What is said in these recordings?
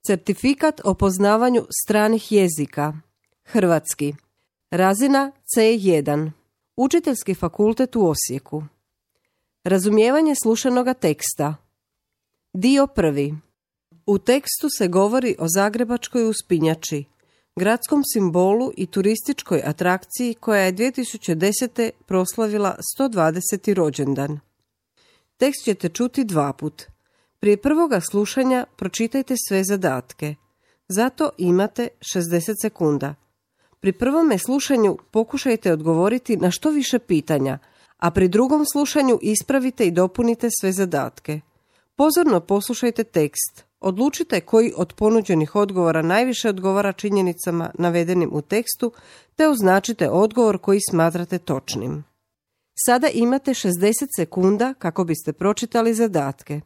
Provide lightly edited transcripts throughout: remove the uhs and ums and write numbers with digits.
Certifikat o poznavanju stranih jezika. Hrvatski. Razina C1. Učiteljski fakultet u Osijeku. Razumijevanje slušanoga teksta. Dio prvi. U tekstu se govori o zagrebačkoj uspinjači, gradskom simbolu i turističkoj atrakciji koja je 2010. proslavila 120. rođendan. Tekst ćete čuti 2 puta. Prije prvoga slušanja pročitajte sve zadatke. Zato imate 60 sekunda. Pri prvome slušanju pokušajte odgovoriti na što više pitanja, a pri drugom slušanju ispravite i dopunite sve zadatke. Pozorno poslušajte tekst. Odlučite koji od ponuđenih odgovora najviše odgovara činjenicama navedenim u tekstu, te označite odgovor koji smatrate točnim. Sada imate 60 sekunda kako biste pročitali zadatke.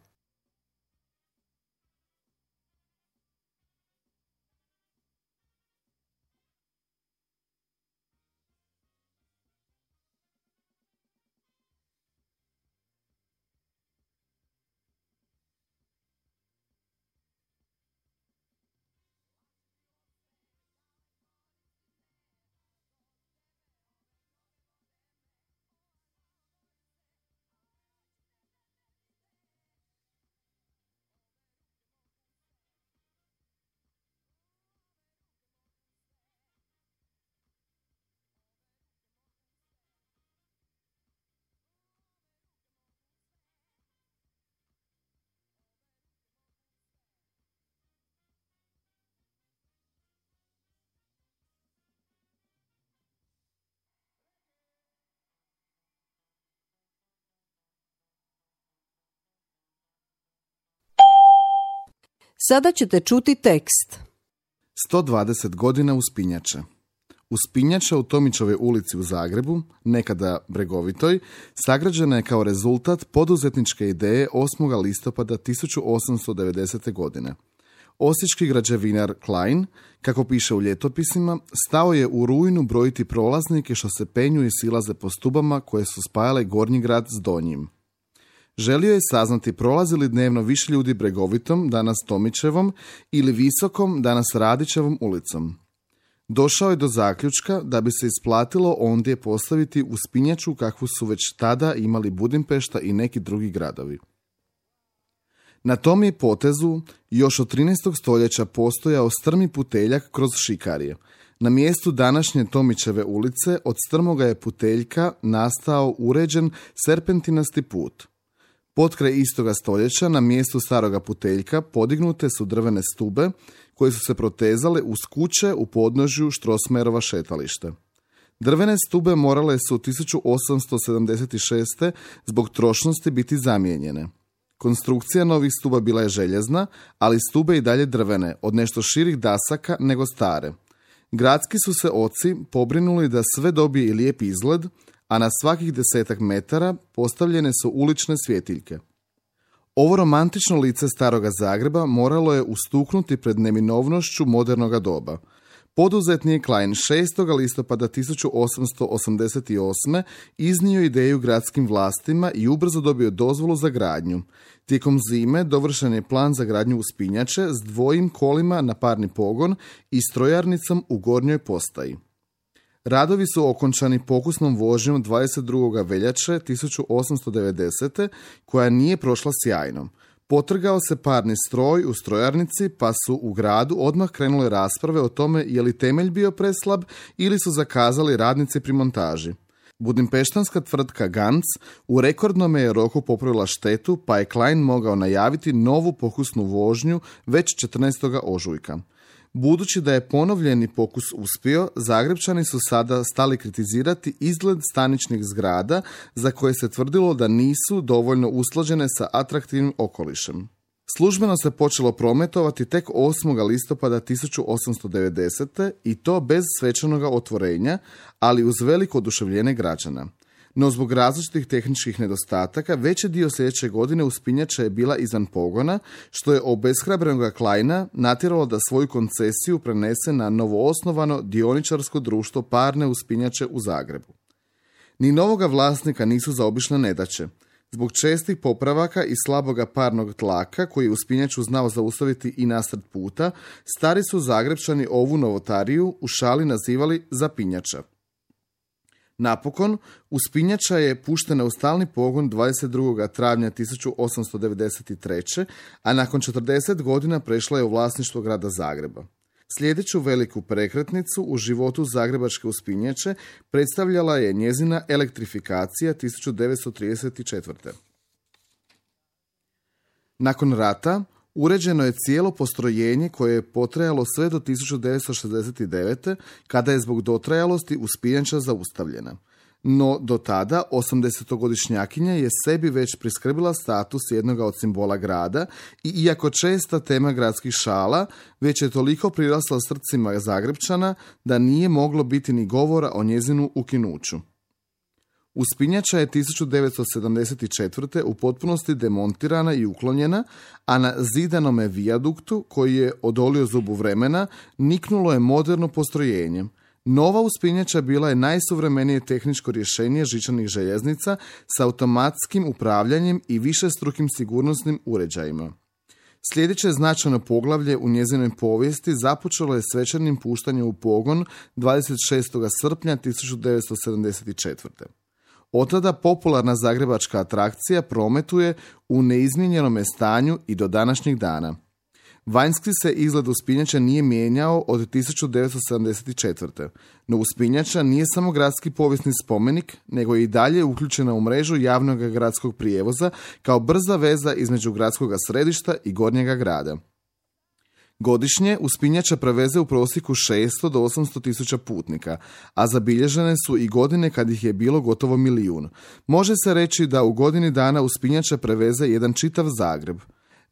Sada ćete čuti tekst. 120 godina uspinjače. Uspinjača u Tomićevoj ulici u Zagrebu, nekada Bregovitoj, sagrađena je kao rezultat poduzetničke ideje 8. listopada 1890. godine. Osječki građevinar Klein, kako piše u ljetopisima, stao je u rujnu brojiti prolaznike što se penju i silaze po stubama koje su spajale Gornji grad s Donjim. Želio je saznati prolazi li dnevno više ljudi Bregovitom, danas Tomićevom, ili Visokom, danas Radićevom ulicom. Došao je do zaključka da bi se isplatilo ondje postaviti uspinjaču kakvu su već tada imali Budimpešta i neki drugi gradovi. Na tom je potezu još od 13. stoljeća postojao strmi puteljak kroz Šikarije. Na mjestu današnje Tomićeve ulice od strmoga je puteljka nastao uređen serpentinasti put. Potkraj istoga stoljeća na mjestu staroga puteljka podignute su drvene stube koje su se protezale uz kuće u podnožju Štrosmerova šetalište. Drvene stube morale su 1876. zbog trošnosti biti zamijenjene. Konstrukcija novih stuba bila je željezna, ali stube i dalje drvene, od nešto širih dasaka nego stare. Gradski su se oci pobrinuli da sve dobije i lijep izgled, a na svakih 10 metara postavljene su ulične svjetiljke. Ovo romantično lice staroga Zagreba moralo je ustuknuti pred neminovnošću modernoga doba. Poduzetnik Klein 6. listopada 1888. iznio ideju gradskim vlastima i ubrzo dobio dozvolu za gradnju. Tijekom zime dovršen je plan za gradnju uspinjače s 2 kolima na parni pogon i strojarnicom u Gornjoj postaji. Radovi su okončani pokusnom vožnjom 22. veljače 1890. koja nije prošla sjajno. Potrgao se parni stroj u strojarnici, pa su u gradu odmah krenule rasprave o tome je li temelj bio preslab ili su zakazali radnici pri montaži. Budimpeštanska tvrtka Ganz u rekordnome je roku popravila štetu, pa je Klein mogao najaviti novu pokusnu vožnju već 14. ožujka. Budući da je ponovljeni pokus uspio, Zagrebčani su sada stali kritizirati izgled staničnih zgrada za koje se tvrdilo da nisu dovoljno usklađene sa atraktivnim okolišem. Službeno se počelo prometovati tek 8. listopada 1890. i to bez svečanog otvorenja, ali uz veliko oduševljenje građana. No zbog različitih tehničkih nedostataka, veći dio sljedeće godine uspinjača je bila izvan pogona, što je obeshrabrenog Kleina natjeralo da svoju koncesiju prenese na novoosnovano dioničarsko društvo parne uspinjače u Zagrebu. Ni novoga vlasnika nisu zaobišle nedaće. Zbog čestih popravaka i slaboga parnog tlaka, koji je uspinjaču znao zaustaviti i nasred puta, stari su Zagrepčani ovu novotariju u šali nazivali zapinjača. Napokon, uspinjača je puštena u stalni pogon 22. travnja 1893. a nakon 40 godina prešla je u vlasništvo grada Zagreba. Sljedeću veliku prekretnicu u životu zagrebačke uspinjače predstavljala je njezina elektrifikacija 1934. Nakon rata uređeno je cijelo postrojenje koje je potrajalo sve do 1969. kada je zbog dotrajalosti uspinjača zaustavljena. No do tada 80-godišnjakinja je sebi već priskrbila status jednoga od simbola grada i iako česta tema gradskih šala, već je toliko prirasla srcima Zagrepčana da nije moglo biti ni govora o njezinu ukinuću. Uspinjača je 1974. u potpunosti demontirana i uklonjena, a na zidanome vijaduktu, koji je odolio zubu vremena, niknulo je moderno postrojenje. Nova uspinjača bila je najsuvremenije tehničko rješenje žičanih željeznica s automatskim upravljanjem i višestrukim sigurnosnim uređajima. Sljedeće značajno poglavlje u njezinoj povijesti započelo je svečanim puštanjem u pogon 26. srpnja 1974. Od tada popularna zagrebačka atrakcija prometuje u neizmijenjenome stanju i do današnjih dana. Vanjski se izgled uspinjača nije mijenjao od 1974. No uspinjača nije samo gradski povijesni spomenik, nego je i dalje uključena u mrežu javnog gradskog prijevoza kao brza veza između gradskog središta i gornjega grada. Godišnje uspinjača preveze u prosjeku 600 do 800 tisuća putnika, a zabilježene su i godine kad ih je bilo gotovo 1 milijun. Može se reći da u godini dana uspinjača preveze jedan čitav Zagreb.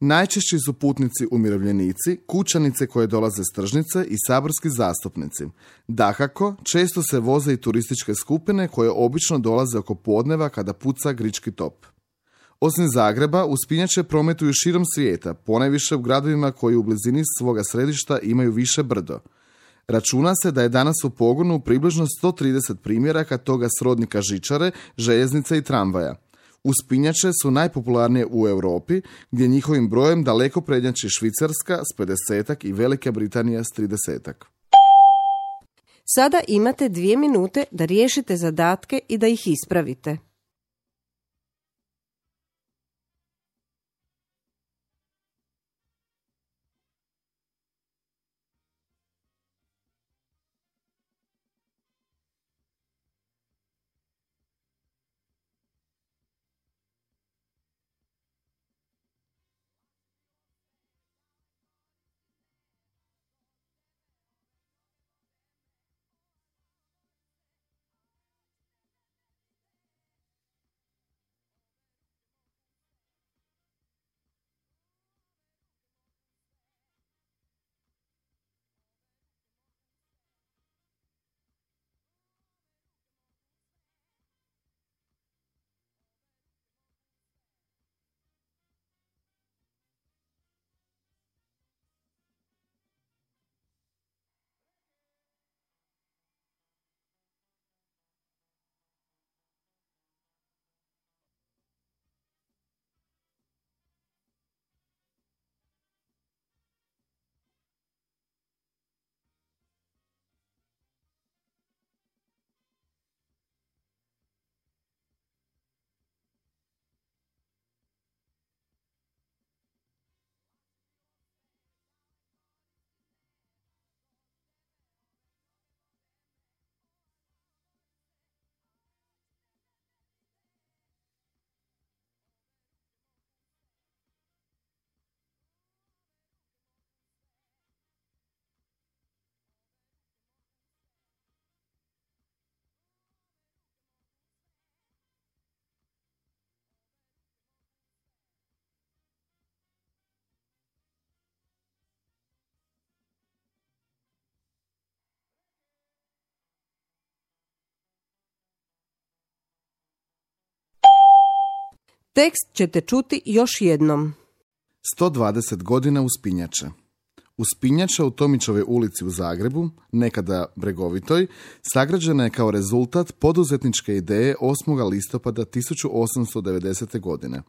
Najčešći su putnici umirovljenici, kućanice koje dolaze s tržnice i saborski zastupnici. Dakako, često se voze i turističke skupine koje obično dolaze oko podneva kada puca grički top. Osim Zagreba, uspinjače prometuju širom svijeta, ponajviše u gradovima koji u blizini svoga središta imaju više brdo. Računa se da je danas u pogonu približno 130 primjeraka toga srodnika žičare, željeznice i tramvaja. Uspinjače su najpopularnije u Europi, gdje njihovim brojem daleko prednjači Švicarska s 50-ak i Velika Britanija s 30-ak. Sada imate 2 minute da riješite zadatke i da ih ispravite. Tekst ćete čuti još jednom. 120 godina uspinjače. Uspinjača u Tomićevoj ulici u Zagrebu, nekada Bregovitoj, sagrađena je kao rezultat poduzetničke ideje 8. listopada 1890. godine.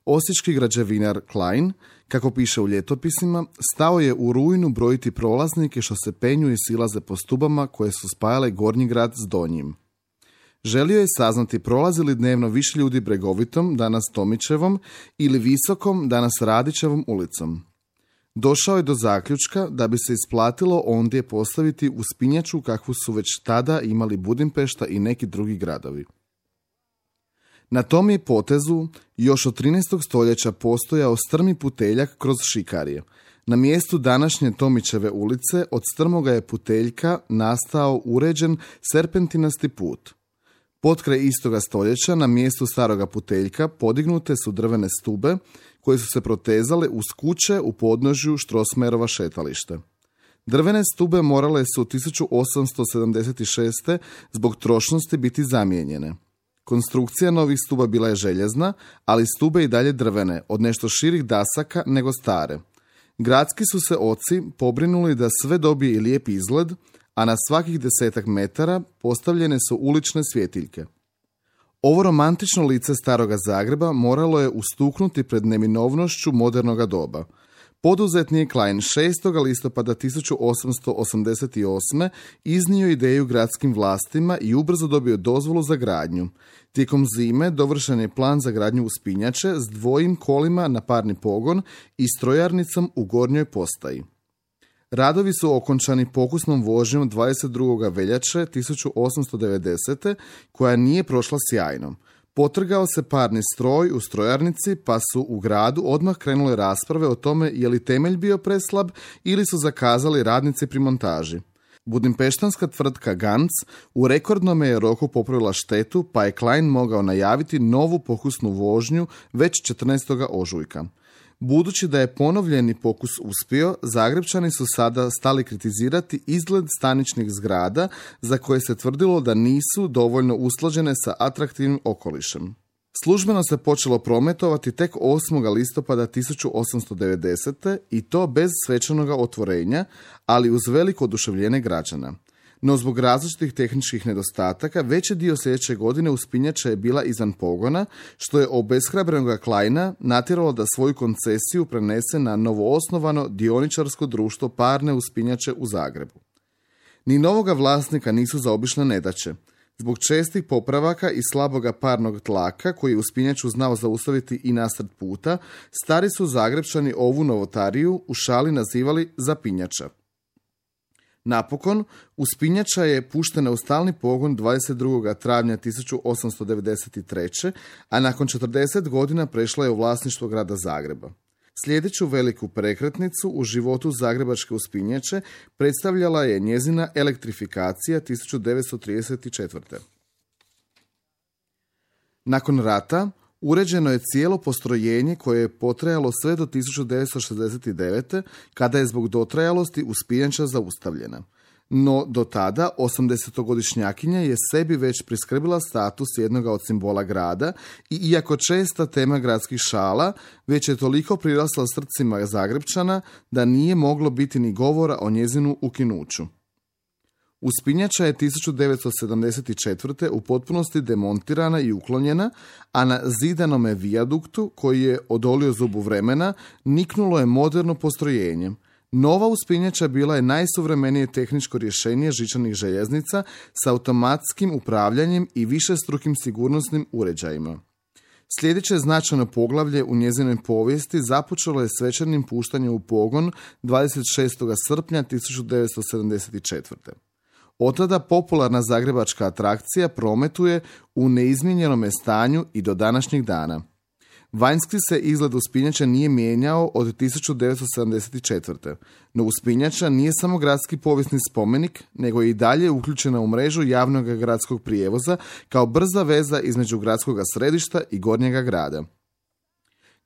Osječki građevinar Klein, kako piše u ljetopisima, stao je u rujnu brojiti prolaznike što se penju i silaze po stubama koje su spajale Gornji grad s Donjim. Želio je saznati prolazi li dnevno više ljudi Bregovitom, danas Tomićevom, ili Visokom, danas Radićevom ulicom. Došao je do zaključka da bi se isplatilo ondje postaviti uspinjaču kakvu su već tada imali Budimpešta i neki drugi gradovi. Na tom je potezu još od 13. stoljeća postojao strmi puteljak kroz Šikarije. Na mjestu današnje Tomićeve ulice od strmoga je puteljka nastao uređen serpentinasti put. Potkraj istoga stoljeća na mjestu staroga puteljka podignute su drvene stube koje su se protezale uz kuće u podnožju Štrosmerova šetalište. Drvene stube morale su 1876. zbog trošnosti biti zamijenjene. Konstrukcija novih stuba bila je željezna, ali stube i dalje drvene, od nešto širih dasaka nego stare. Gradski su se oci pobrinuli da sve dobije i lijep izgled, a na svakih 10 metara postavljene su ulične svjetiljke. Ovo romantično lice staroga Zagreba moralo je ustuknuti pred neminovnošću modernoga doba. Poduzetnik Klein 6. listopada 1888. iznio ideju gradskim vlastima i ubrzo dobio dozvolu za gradnju. Tijekom zime dovršen je plan za gradnju uspinjače s 2 kolima na parni pogon i strojarnicom u Gornjoj postaji. Radovi su okončani pokusnom vožnjom 22. veljače 1890. koja nije prošla sjajno. Potrgao se parni stroj u strojarnici, pa su u gradu odmah krenule rasprave o tome je li temelj bio preslab ili su zakazali radnici pri montaži. Budimpeštanska tvrtka Ganz u rekordnome je roku popravila štetu, pa je Klein mogao najaviti novu pokusnu vožnju već 14. ožujka. Budući da je ponovljeni pokus uspio, Zagrebčani su sada stali kritizirati izgled staničnih zgrada za koje se tvrdilo da nisu dovoljno usklađene sa atraktivnim okolišem. Službeno se počelo prometovati tek 8. listopada 1890. i to bez svečanog otvorenja, ali uz veliko oduševljenje građana. No zbog različitih tehničkih nedostataka, veći dio sljedeće godine uspinjača je bila izvan pogona, što je obeshrabrenog Kleina natjeralo da svoju koncesiju prenese na novoosnovano dioničarsko društvo parne uspinjače u Zagrebu. Ni novoga vlasnika nisu zaobišle nedaće. Zbog čestih popravaka i slaboga parnog tlaka, koji je uspinjaču znao zaustaviti i nasred puta, stari su Zagrebčani ovu novotariju u šali nazivali zapinjača. Napokon, uspinjača je puštena u stalni pogon 22. travnja 1893. a nakon 40 godina prešla je u vlasništvo grada Zagreba. Sljedeću veliku prekretnicu u životu zagrebačke uspinjače predstavljala je njezina elektrifikacija 1934. Nakon rata uređeno je cijelo postrojenje koje je potrajalo sve do 1969. kada je zbog dotrajalosti uspinjača zaustavljena. No do tada 80-godišnjakinja je sebi već priskrbila status jednoga od simbola grada i iako česta tema gradskih šala, već je toliko prirasla srcima Zagrebčana da nije moglo biti ni govora o njezinu ukinuću. Uspinjača je 1974. u potpunosti demontirana i uklonjena, a na zidanome vijaduktu, koji je odolio zubu vremena, niknulo je moderno postrojenje. Nova uspinjača bila je najsuvremenije tehničko rješenje žičanih željeznica s automatskim upravljanjem i višestrukim sigurnosnim uređajima. Sljedeće značajno poglavlje u njezinoj povijesti započelo je svečanim puštanjem u pogon 26. srpnja 1974. Od tada popularna zagrebačka atrakcija prometuje u neizmijenjenome stanju i do današnjeg dana. Vanjski se izgled uspinjača nije mijenjao od 1974. No uspinjača nije samo gradski povijesni spomenik, nego je i dalje uključena u mrežu javnog gradskog prijevoza kao brza veza između gradskog središta i gornjega grada.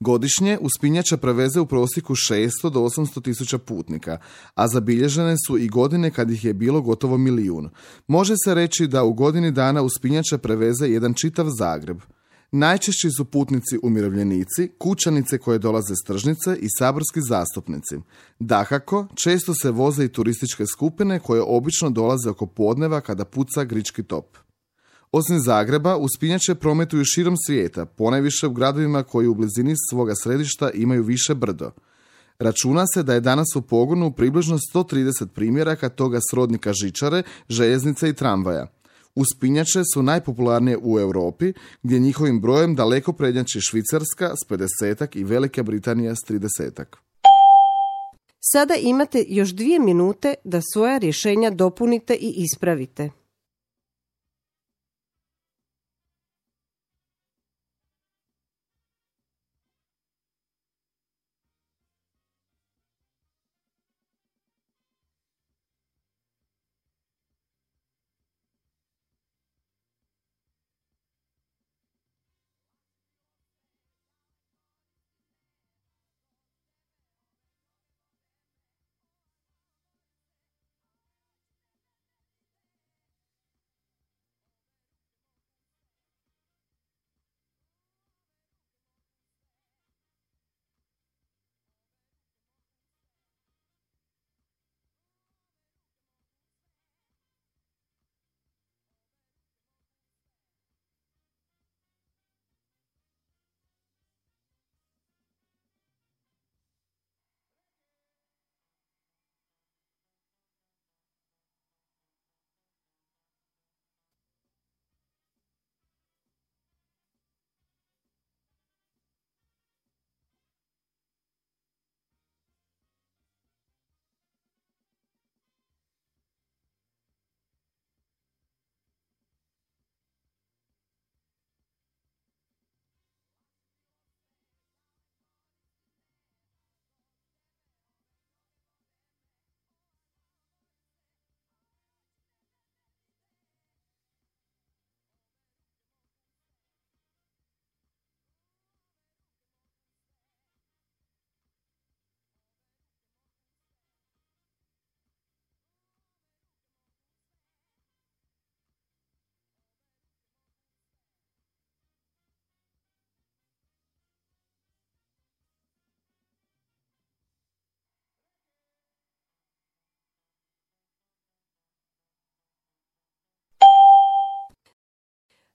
Godišnje uspinjača preveze u prosjeku 600 do 800 tisuća putnika, a zabilježene su i godine kad ih je bilo gotovo 1 milijun. Može se reći da u godini dana uspinjača preveze jedan čitav Zagreb. Najčešći su putnici umirovljenici, kućanice koje dolaze s tržnice i saborski zastupnici. Dakako, često se voze i turističke skupine koje obično dolaze oko podneva kada puca grički top. Osim Zagreba, uspinjače prometuju širom svijeta, ponajviše u gradovima koji u blizini svoga središta imaju više brdo. Računa se da je danas u pogonu približno 130 primjeraka toga srodnika žičare, željeznice i tramvaja. Uspinjače su najpopularnije u Europi, gdje njihovim brojem daleko prednjači Švicarska s 50-ak i Velika Britanija s 30-ak. Sada imate još 2 minute da svoja rješenja dopunite i ispravite.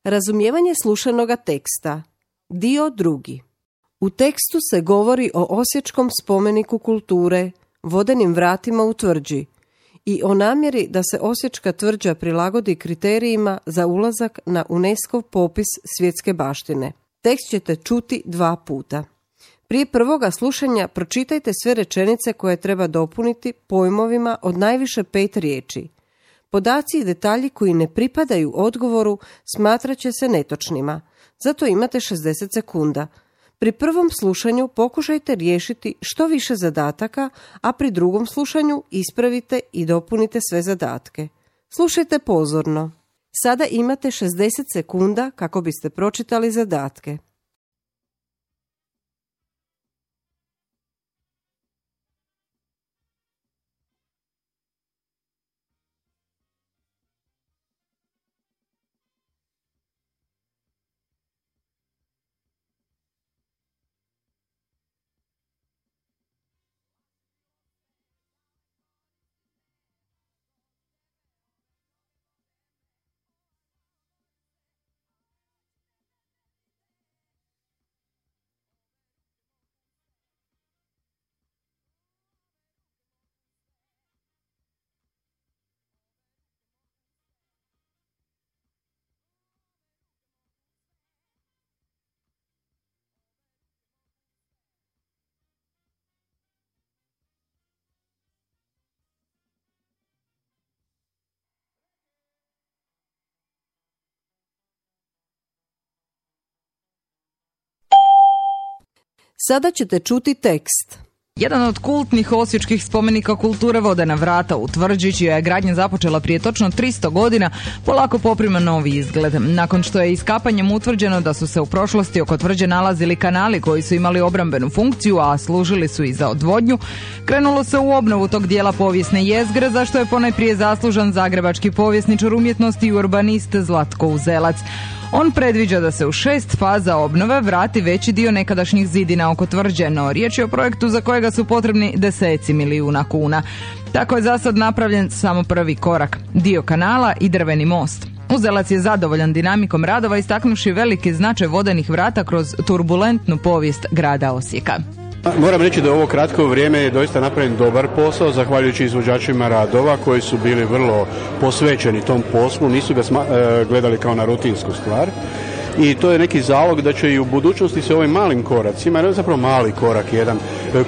Razumijevanje slušanoga teksta. Dio 2. U tekstu se govori o osječkom spomeniku kulture, vodenim vratima u tvrđi i o namjeri da se osječka tvrđa prilagodi kriterijima za ulazak na UNESCO popis svjetske baštine. Tekst ćete čuti 2 puta. Prije prvoga slušanja pročitajte sve rečenice koje treba dopuniti pojmovima od najviše 5 riječi. Podaci i detalji koji ne pripadaju odgovoru smatrat će se netočnima, zato imate 60 sekunda. Pri prvom slušanju pokušajte riješiti što više zadataka, a pri drugom slušanju ispravite i dopunite sve zadatke. Slušajte pozorno. Sada imate 60 sekunda kako biste pročitali zadatke. Sada ćete čuti tekst. Jedan od kultnih osječkih spomenika kulture Vodena vrata u tvrđi, čija je gradnja započela prije točno 300 godina, polako poprima novi izgled. Nakon što je iskapanjem utvrđeno da su se u prošlosti oko tvrđe nalazili kanali koji su imali obrambenu funkciju, a služili su i za odvodnju, krenulo se u obnovu tog dijela povijesne jezgre, za što je ponajprije zaslužan zagrebački povjesničar umjetnosti i urbanist Zlatko Uzelac. On predviđa da se u 6 faza obnove vrati veći dio nekadašnjih zidina oko tvrđe, no riječ je o projektu za kojega su potrebni deseci milijuna kuna. Tako je za sad napravljen samo prvi korak, dio kanala i drveni most. Uzelac je zadovoljan dinamikom radova, istaknuši veliki značaj vodenih vrata kroz turbulentnu povijest grada Osijeka. Moram reći da u ovo kratko vrijeme je doista napravljen dobar posao, zahvaljujući izvođačima radova koji su bili vrlo posvećeni tom poslu, nisu ga gledali kao na rutinsku stvar. I to je neki zalog da će i u budućnosti se ovim malim koracima, jer je zapravo mali korak jedan,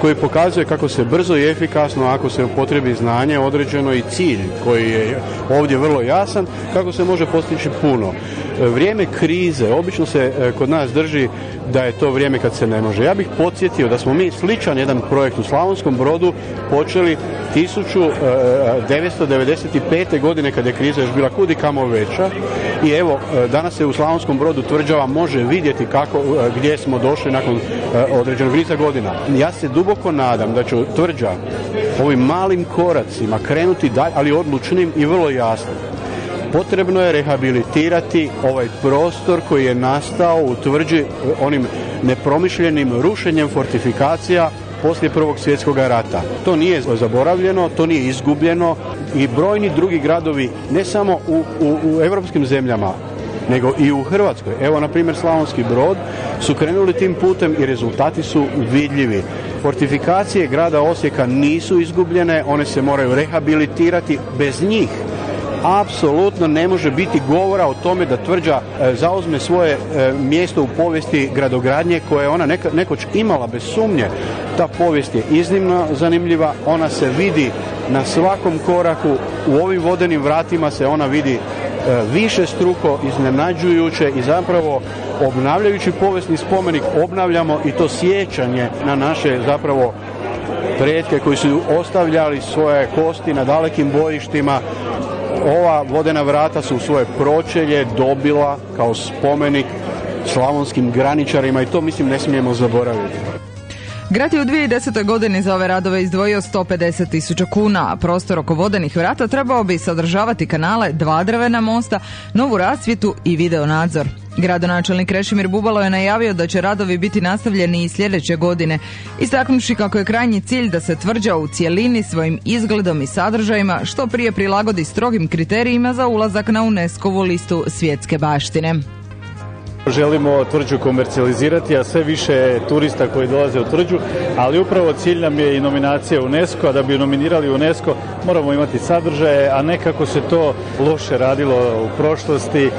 koji pokazuje kako se brzo i efikasno, ako se upotrebi znanje određeno i cilj koji je ovdje vrlo jasan, kako se može postići puno. Vrijeme krize obično se kod nas drži da je to vrijeme kad se ne može. Ja bih podsjetio da smo mi sličan jedan projekt u Slavonskom Brodu počeli 1995. godine kad je kriza još bila kud i kamo veća i evo danas se u Slavonskom Brodu tvrđava može vidjeti gdje smo došli nakon određenog niza godina. Ja se duboko nadam da će tvrđa ovim malim koracima krenuti dalje, ali odlučnim i vrlo jasnim. Potrebno je rehabilitirati ovaj prostor koji je nastao u tvrđi onim nepromišljenim rušenjem fortifikacija poslije Prvog svjetskog rata. To nije zaboravljeno, to nije izgubljeno i brojni drugi gradovi, ne samo u europskim zemljama, nego i u Hrvatskoj. Evo, na primjer, Slavonski Brod su krenuli tim putem i rezultati su vidljivi. Fortifikacije grada Osijeka nisu izgubljene, one se moraju rehabilitirati. Bez njih apsolutno ne može biti govora o tome da tvrđa zauzme svoje mjesto u povijesti gradogradnje koje je ona nekoć imala bez sumnje. Ta povijest je iznimno zanimljiva, ona se vidi na svakom koraku, u ovim vodenim vratima se ona vidi više struko, iznenađujuće i zapravo obnavljajući povijesni spomenik obnavljamo i to sjećanje na naše zapravo pretke koji su ostavljali svoje kosti na dalekim bojištima. Ova vodena vrata su svoje pročelje dobila kao spomenik slavonskim graničarima i to mislim ne smijemo zaboraviti. Grad je u 2010. godini za ove radove izdvojio 150.000 kuna, a prostor oko vodenih vrata trebao bi sadržavati kanale, 2 drvena mosta, novu rasvjetu i video nadzor. Gradonačelnik Krešimir Bubalo je najavio da će radovi biti nastavljeni i sljedeće godine, istaknuši kako je krajnji cilj da se tvrđa u cjelini svojim izgledom i sadržajima što prije prilagodi strogim kriterijima za ulazak na UNESCO-vu listu svjetske baštine. Želimo tvrđu komercijalizirati, a sve više turista koji dolaze u tvrđu, ali upravo cilj nam je i nominacija UNESCO, a da bi nominirali UNESCO moramo imati sadržaje, a ne kako se to loše radilo u prošlosti.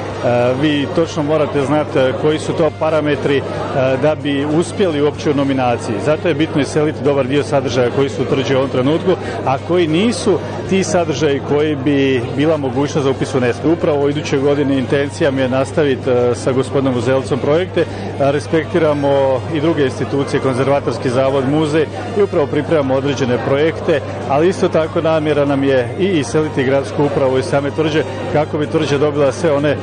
Vi točno morate znati koji su to parametri da bi uspjeli uopće u nominaciji. Zato je bitno iseliti dobar dio sadržaja koji su u tvrđi u ovom trenutku, a koji nisu ti sadržaji koji bi bila mogućnost za upis u UNESCO. Upravo u idućoj godini intencija mi je nastaviti sa gospodinom Uzelcom projekte, respektiramo i druge institucije, konzervatorski zavod, muzej i upravo pripremamo određene projekte, ali isto tako namjera nam je i iseliti gradsku upravu iz same tvrđe kako bi tvrđa dobila sve one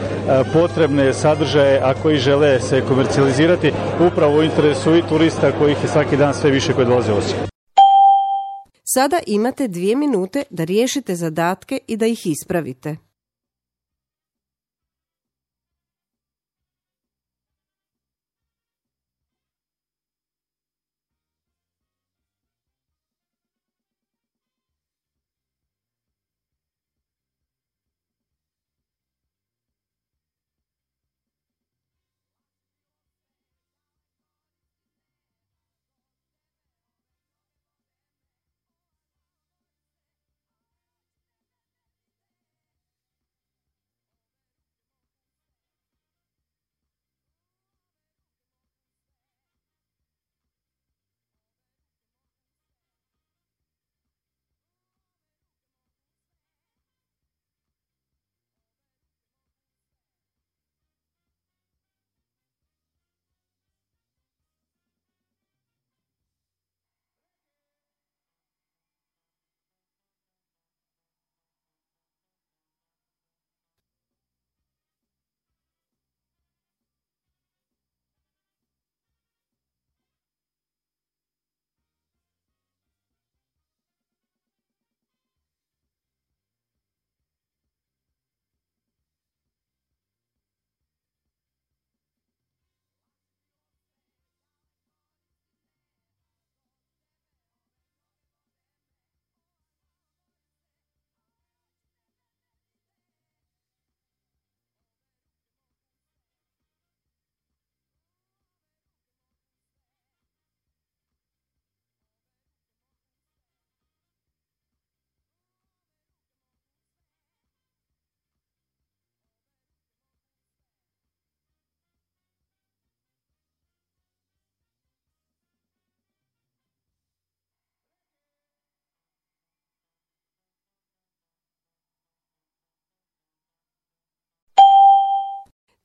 potrebne sadržaje, a koji žele se komercijalizirati upravo u interesu i turista kojih je svaki dan sve više koji dolaze u Osijek. Sada imate 2 minute da riješite zadatke i da ih ispravite.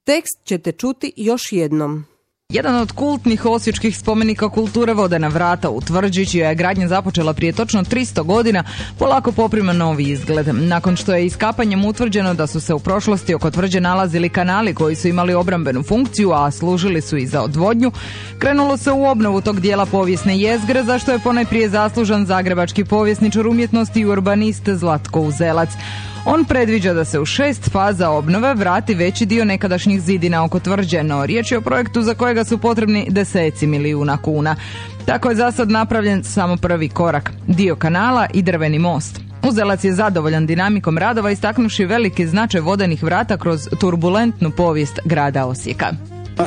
Tekst ćete čuti još jednom. Jedan od kultnih osječkih spomenika kulture Vodena vrata u Tvrđi, čija je gradnja započela prije točno 300 godina, polako poprima novi izgled. Nakon što je iskapanjem utvrđeno da su se u prošlosti oko tvrđe nalazili kanali koji su imali obrambenu funkciju, a služili su i za odvodnju, krenulo se u obnovu tog dijela povijesne jezgre, za što je ponajprije zaslužan zagrebački povjesničar umjetnosti i urbanist Zlatko Uzelac. On predviđa da se u 6 faza obnove vrati veći dio nekadašnjih zidina oko tvrđe, no riječ je o projektu za kojega su potrebni deseci milijuna kuna. Tako je za sad napravljen samo prvi korak, dio kanala i drveni most. Uzelac je zadovoljan dinamikom radova, istaknuši veliki značaj vodenih vrata kroz turbulentnu povijest grada Osijeka.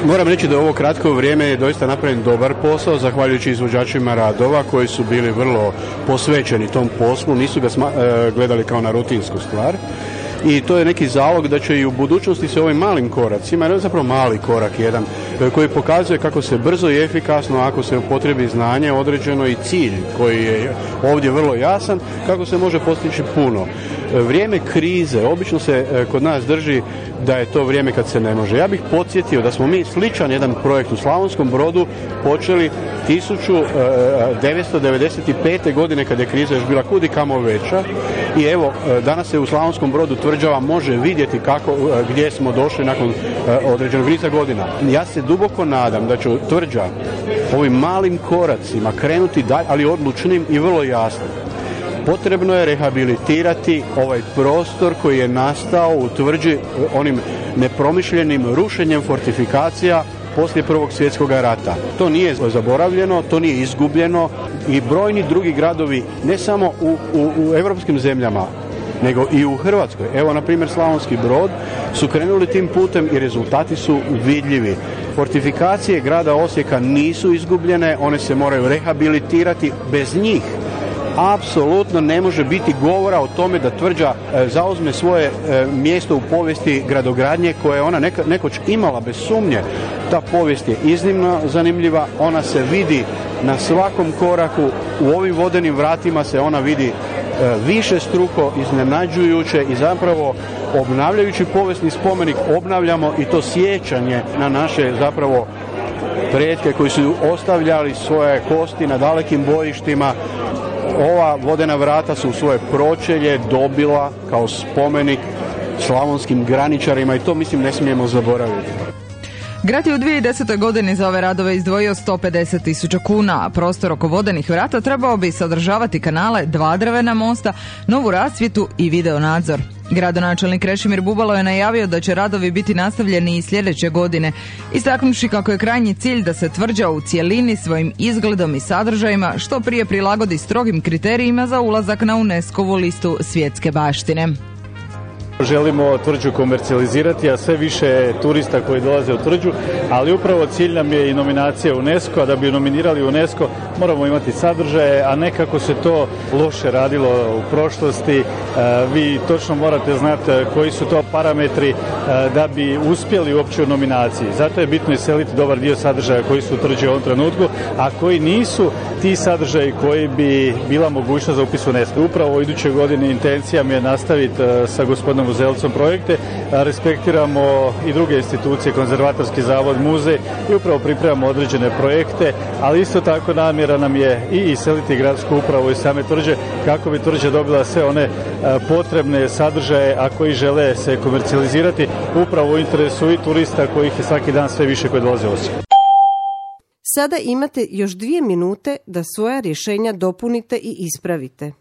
Moram reći da u ovo kratko vrijeme je doista napravljen dobar posao, zahvaljujući izvođačima radova koji su bili vrlo posvećeni tom poslu, nisu ga gledali kao na rutinsku stvar. I to je neki zalog da će i u budućnosti se ovim malim koracima, jer je zapravo mali korak jedan, koji pokazuje kako se brzo i efikasno, ako se upotrebi znanje određeno i cilj koji je ovdje vrlo jasan, kako se može postići puno. Vrijeme krize obično se kod nas drži da je to vrijeme kad se ne može. Ja bih podsjetio da smo mi sličan jedan projekt u Slavonskom Brodu počeli 1995. godine kad je kriza još bila kud i kamo veća i evo danas se u Slavonskom Brodu tvrđava može vidjeti gdje smo došli nakon određenog niza godina. Ja se duboko nadam da će tvrđa ovim malim koracima krenuti dalje, ali odlučnim i vrlo jasnim. Potrebno je rehabilitirati ovaj prostor koji je nastao u tvrđi onim nepromišljenim rušenjem fortifikacija poslije Prvog svjetskog rata. To nije zaboravljeno, to nije izgubljeno i brojni drugi gradovi, ne samo u europskim zemljama, nego i u Hrvatskoj. Evo, na primjer, Slavonski Brod su krenuli tim putem i rezultati su vidljivi. Fortifikacije grada Osijeka nisu izgubljene, one se moraju rehabilitirati. Bez njih apsolutno ne može biti govora o tome da tvrđa zauzme svoje mjesto u povijesti gradogradnje koje je ona nekoć imala bez sumnje. Ta povijest je iznimno zanimljiva, ona se vidi na svakom koraku, u ovim vodenim vratima se ona vidi višestruko, iznenađujuće i zapravo obnavljajući povijesni spomenik obnavljamo i to sjećanje na naše zapravo pretke koji su ostavljali svoje kosti na dalekim bojištima. Ova vodena vrata su svoje pročelje dobila kao spomenik slavonskim graničarima i to mislim ne smijemo zaboraviti. Grad je u 2010. godini za ove radove izdvojio 150.000 kuna, a prostor oko vodenih vrata trebao bi sadržavati kanale, 2 drvena mosta, novu rasvjetu i video nadzor. Gradonačelnik Krešimir Bubalo je najavio da će radovi biti nastavljeni i sljedeće godine, istaknuši kako je krajnji cilj da se tvrđa u cjelini svojim izgledom i sadržajima što prije prilagodi strogim kriterijima za ulazak na UNESCO-vu listu svjetske baštine. Želimo tvrđu komercijalizirati, a sve više turista koji dolaze u tvrđu, ali upravo cilj nam je i nominacija UNESCO, a da bi nominirali UNESCO moramo imati sadržaje, a ne kako se to loše radilo u prošlosti. Vi točno morate znati koji su to parametri da bi uspjeli uopće u nominaciji. Zato je bitno iseliti dobar dio sadržaja koji su u tvrđi u ovom trenutku, a koji nisu ti sadržaji koji bi bila mogućnost za upis u UNESCO. Upravo u idućoj godini intencija mi je nastaviti sa gospodinom Uzelcom projekte, respektiramo i druge institucije, konzervatorski zavod, muzej i upravo pripremamo određene projekte, ali isto tako namjera nam je i iseliti gradsku upravu iz same tvrđe kako bi tvrđa dobila sve one potrebne sadržaje, a koji žele se komercijalizirati upravo u interesu i turista kojih je svaki dan sve više koji dolaze u Osijek. Sada imate još 2 minute da svoja rješenja dopunite i ispravite.